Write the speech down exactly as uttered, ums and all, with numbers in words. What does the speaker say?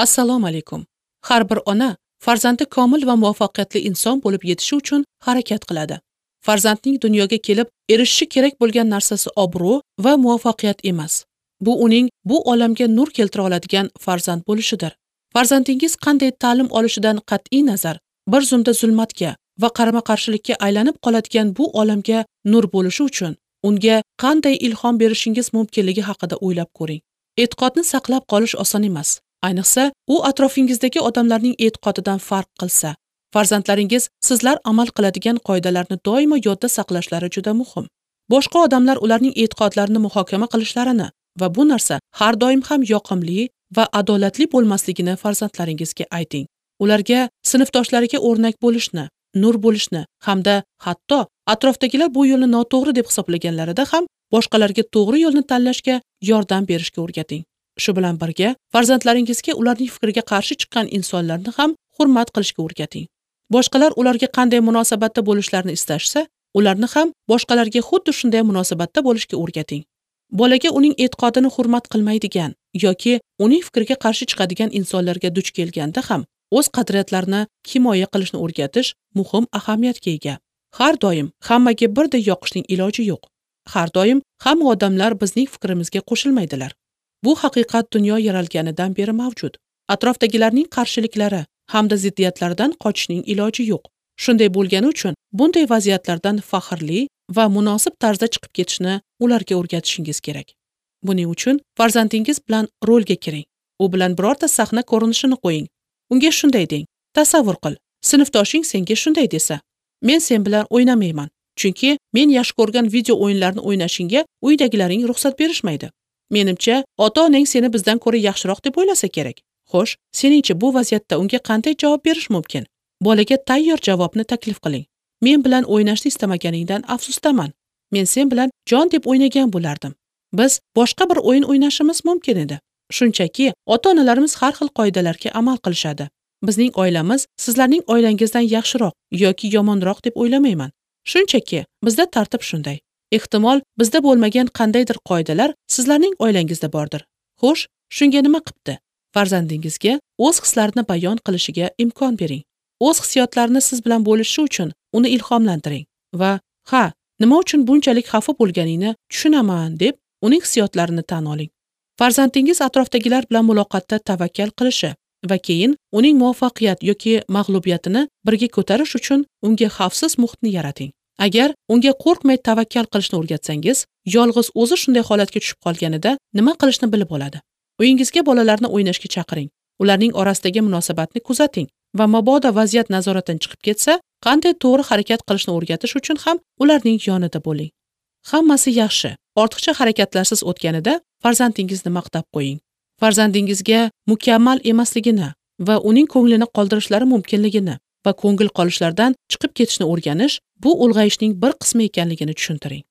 Assalomu alaykum. Har bir ona farzandi komil va muvaffaqiyatli inson bo'lib yetishi uchun harakat qiladi. Farzandning dunyoga kelib erishishi kerak bo'lgan narsasi obro' va muvaffaqiyat emas. Bu uning bu olamga nur keltira oladigan farzand bo'lishidir. Farzandingiz qanday ta'lim olishidan qat'iy nazar, bir zumda zulmatga va qarama-qarshilikka aylanib qoladigan bu olamga nur bo'lishi uchun unga qanday ilhom berishingiz mumkinligi haqida o'ylab ko'ring. E'tiqodni saqlab qolish oson emas. Ayniqsa, u atrofingizdagi odamlarning e'tiqodidan farq qilsa. Farzandlaringiz sizlar amal qiladigan qoidalarni doimo yodda saqlashlari juda muhim. Boshqa odamlar ularning e'tiqodlarini muhokama qilishlarini va bu narsa har doim ham yoqimli va adolatli bo'lmasligini farzandlaringizga ayting. Ularga sinfdoshlariga o'rnak bo'lishni, nur bo'lishni hamda hatto atrofdagilar bu yo'lni noto'g'ri deb hisoblaganlarida ham boshqalarga to'g'ri yo'lni tanlashga yordam berishga o'rgating. Shu bilan birga farzandlaringizga ularning fikriga qarshi chiqqan insonlarni ham hurmat qilishga o'rgating. Boshqalar ularga qanday munosabatda bo'lishlarini istashsa, ularni ham boshqalarga xuddi shunday munosabatda bo'lishga o'rgating. Bolaga uning e'tiqodini hurmat qilmaydigan yoki uning fikriga qarshi chiqadigan insonlarga duch kelganda ham o'z qadriyatlarini himoya qilishni o'rgatish muhim ahamiyatga ega. Har doim hammaga birdek yoqishning iloji yo'q. Har doim hamma odamlar bizning fikrimizga qo'shilmaydilar. Bu haqiqat dunyo yaralganidan beri mavjud. Atrofdagilarning qarshiliklari hamda ziddiyatlaridan qochishning iloji yo'q. Shunday bo'lgani uchun bunday vaziyatlardan faxrli va munosib tarzda chiqib ketishni ularga o'rgatishingiz kerak. Buning uchun farzandingiz bilan rolga kiring. U bilan birorta sahna ko'rinishini qo'ying. Unga shunday deng: tasavvur qil, sinfdoshing senga shunday desa, men sen bilan o'ynamayman, chunki men yaxshi ko'rgan video o'yinlarni o'ynashingga uydagilaring ruxsat berishmaydi. Menimcha, ota-onang seni bizdan ko'ra yaxshiroq deb o'ylasa kerak. Xo'sh, seningcha bu vaziyatda unga qanday javob berish mumkin? Bolaga tayyor javobni taklif qiling. Men bilan o'ynashni istamaganingdan afsusdaman. Men sen bilan jon deb o'ynagan bo'lardim. Biz boshqa bir o'yin o'ynashimiz mumkin edi. Shunchaki, ota-onalarimiz har xil qoidalarga amal qilishadi. Bizning oilamiz sizlarning oilangizdan yaxshiroq yoki yomonroq deb o'ylamayman. Shunchaki, bizda tartib shunday. Ehtimol, bizda bo'lmagan qandaydir qoidalar sizlarning oilangizda bordir. Xo'sh, shunga nima qipti? Farzandingizga o'z hislarini bayon qilishiga imkon bering. O'z hissiyotlarini siz bilan bo'lishishi uchun uni ilhomlantiring va ha, nima uchun bunchalik xafa bo'lganingni tushunaman deb uning hissiyotlarini tan oling. Farzandingiz atrofdagilar bilan muloqotda tavakkal qilishi va keyin uning muvaffaqiyat yoki mag'lubiyatini birga ko'tarish uchun unga xavfsiz muhitni yarating. Agar unga qo'rqmay tavakkal qilishni o'rgatsangiz, yolg'iz o'zi shunday holatga tushib qolganida nima qilishni bilib oladi. Uyingizga bolalarni o'ynashga chaqiring. Ularning orasidagi munosabatni kuzating va mabodo vaziyat nazoratdan chiqib ketsa, qanday to'g'ri harakat qilishni o'rgatish uchun ham ularning yonida bo'ling. Hammasi yaxshi, ortiqcha harakatlarsiz o'tganida farzandingizni maqtab qo'ying. Farzandingizga mukammal emasligini va uning ko'nglini qoldirishlari mumkinligini va ko'ngil qolishlardan chiqib ketishni o'rganish bu ulg'ayishning bir qismi ekanligini tushuntiring.